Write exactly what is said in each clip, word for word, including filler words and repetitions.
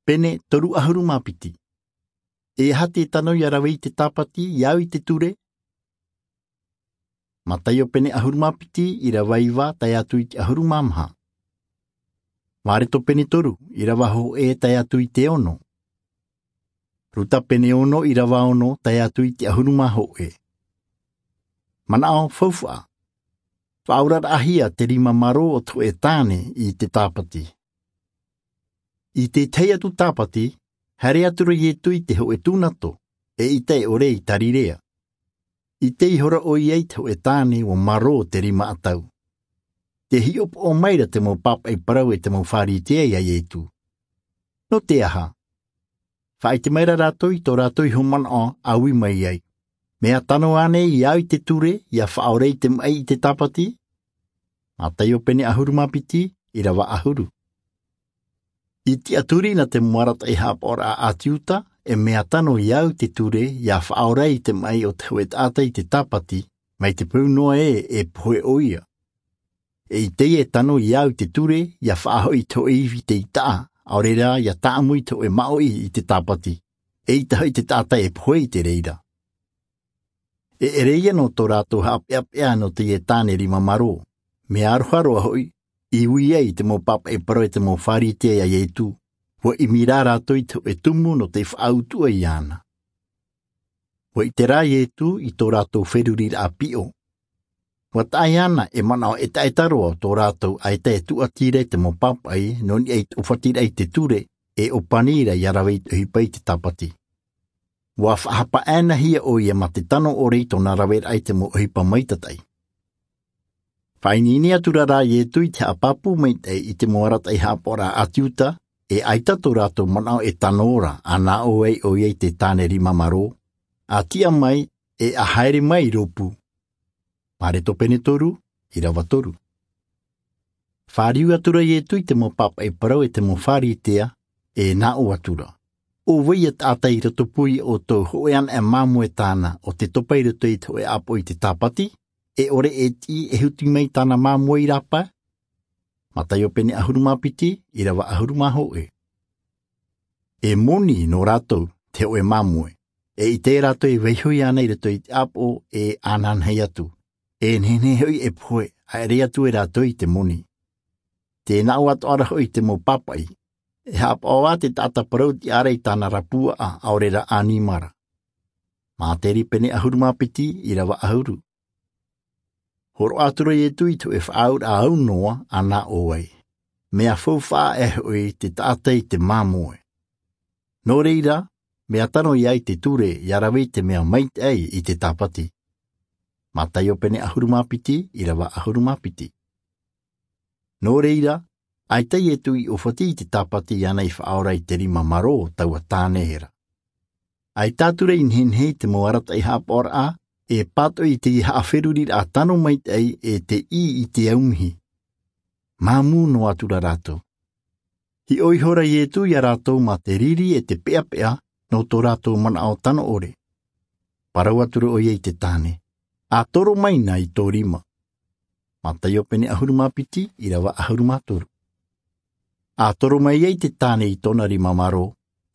Pene toru ʻahuru mā piti. E aha te tano ia rave i te tāpati ia au i te ture? Mataio pene ʻahuru mā piti, irava iva tae atu i te ʻahuru mā maha. Mareto pene toru, irava hōʻē tae atu i te ono. Ruta pene ono, irava ono tae atu i te ʻahuru mā hōʻē. Manaʻo faufaʻa. Faʻaoraraʻahia te rima marō o te hōʻē tāne i te tāpati. I te tahi atu tāpati, haere atu ra Ietu i te hōʻē tūnato, eʻita e ʻore i Tarirea. ʻIte ihora ʻoia i te hōʻē tāne ʻua marō te rima ʻatau. Tē hiʻopoʻa mai ra te mau pāpaʻi parau e te mau Pharisea ia Ietu. Nō te aha? Faʻaʻite mai ra rātou i tō rātou iho manaʻo a ui mai ai. Mea tano ānei ia au i te ture, ia faʻaora i te maʻi i te tāpati? Mataio pene ʻahuru mā piti, irava ʻahuru. I tiʻaturi na te mau arataʻi haʻapaʻoraʻa a te Iuta, e mea tano ia au i te ture, ia faʻaora i te maʻi o te hōʻē taʻata i te tāpati, mai te peu noa ē e pohe ʻoia. E ʻite e tano ia au i te ture, ia faʻahoʻi i te hōʻē ivi tei taʻa, ʻaore rā ia tāʻamu i te hōʻē māʻoʻi i te tāpati, eʻita hoʻi te taʻata e pohe i te reira. E ʻere ia nō tō rātou haʻapeʻapeʻa nō teie tāne rima marō. Mea aroha roa hoʻi, i ui ai i te mau pāpaʻi parau e te mau Pharisea ia Ietu, ʻua ʻimi rā rātou i te hōʻē tumu nō te faʻautuʻa iāna. ʻUa ʻite rā Ietu i tō rātou feruriraʻa piʻo. ʻUa taʻa iāna e manaʻo ʻetaʻeta roa tō rātou ʻaita e tūʻati ra i te mau pāpaʻi, nō niʻa i te ʻōfatiraʻa i te ture, e ʻōpani ra ia rave i te ʻohipa i te tāpati. ʻUa faʻahapa ʻānaʻanahia ʻoia mā te tano ʻore i tōna raveraʻa i te mau ʻohipa maitataʻi. Faʻaineine atu ra rā Ietu i te haʻapāpū maitaʻi i te mau arataʻi haʻapaʻoraʻa a te Iuta, e ʻaita tō rātou manaʻo e tano ra, a nā ʻō ai ʻoia i te tāne rima marō, a tiʻa mai, e a haere mai i rōpū. Mareto pene toru, irava toru. Fāriu atu ra Ietu i te mau pāpaʻi parau e te mau Pharisea, e nā ʻō atu ra. ʻO vai ia taʻata i roto pū ia ʻoutou hōʻē anaʻe māmoe tāna ʻo tē topa i roto i te hōʻē ʻāpoʻo i te tāpati, e ʻore e tiʻi e huti mai tāna māmoe i rāpae? Mataio pene ʻahuru mā piti, irava ʻahuru mā hōʻē. E moni nō rātou te hōʻē māmoe. E ʻite rātou e vaiiho iāna i roto i te ʻāpoʻo, e ānaʻanahia atu. E nehenehe hoʻi e pohe, ʻaere atu e rātou i te moni. Tē nā ʻō atoʻa ra hoʻi te mau pāpaʻi. E haʻapaʻo ā te taʻata parau tiʻa ra i tāna ra puaʻa, ʻaore rā ʻanimara. Māteri pene ʻahuru mā piti, irava ʻahuru. Hōroʻa atu ra Ietu i te hōʻē faʻaauraʻa aunoa, a nā ʻō ai. Mea faufaʻa e hoʻi te taʻata i te māmoe. Nō reira, mea tano ia au i te ture, ia rave i te mea maitaʻi i te tāpati. Mataio pene ʻahuru mā piti, irava ʻahuru mā piti. Nō reira, ʻaita Ietu i ʻōfati i te tāpati iāna i faʻaora i te rima marō o taua tāne ra. ʻAita atu ra i nehenehe i te mau arataʻi haʻapaʻoraʻa, e pātoʻi i te haʻaferuriraʻa tano maitaʻi e te ʻī i te aumihi. Māmū noa atu ra rātou. Hiʻo ihora Ietu ia rātou mā te riri e te peʻapeʻa nō tō rātou manaʻo tano ʻore. Parau atu ra ʻoia i te tāne, a toro mai na i tō rima. Mataio pene ʻahuru mā piti, irava ʻahuru mā toru. A toro mai ai te tāne i tōna rima marō,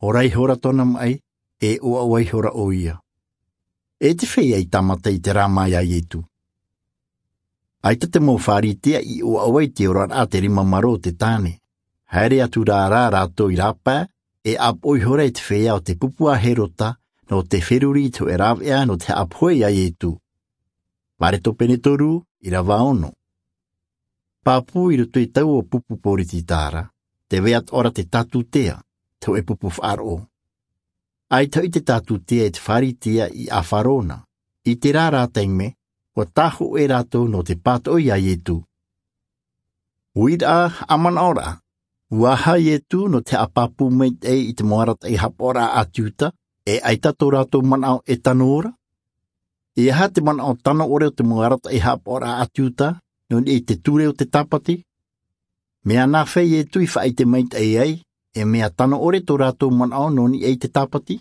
ora ihora tōna maʻi, e ʻoaʻoa ihora ʻoia. E te feiā i tāmata i te rāma ia Ietu. ʻAita te mau Pharisea i ʻoaʻoa i te oraraʻa te rima marō o te tāne. Haere atu rā rātou i rāpae, e ʻāpoʻo ihora e te feiā o te pupu a Herota, nō te feruri i te hōʻē rāveʻa nō te haʻapohe ia Ietu. Mareto pene toru, irava ono. Pāpū i roto i taua pupu poritita ra, tē vai atoʻa ra te tātutea, te hōʻē pupu faʻaroʻo. ʻAita hoʻi te tātutea e te Pharisea i ʻāfaro na, i terā rā taime, ʻua tāhōʻē rātou nō te pātoʻi ia Ietu. Uiraʻa, haʻamanaʻo ra, ʻua aha Ietu nō te haʻapāpū maitaʻi i te mau arataʻi haʻapaʻoraʻa a te Iuta, e ʻaita tō rātou manaʻo e tano ra? E aha te manaʻo tano ʻore o te mau arataʻi haʻapaʻoraʻa a te Iuta, nō niʻa i te ture o te tāpati? Mea nāfea Ietu i faʻaʻite maitaʻi ai, e mea tano ʻore tō rātou manaʻo nō niʻa i te tāpati?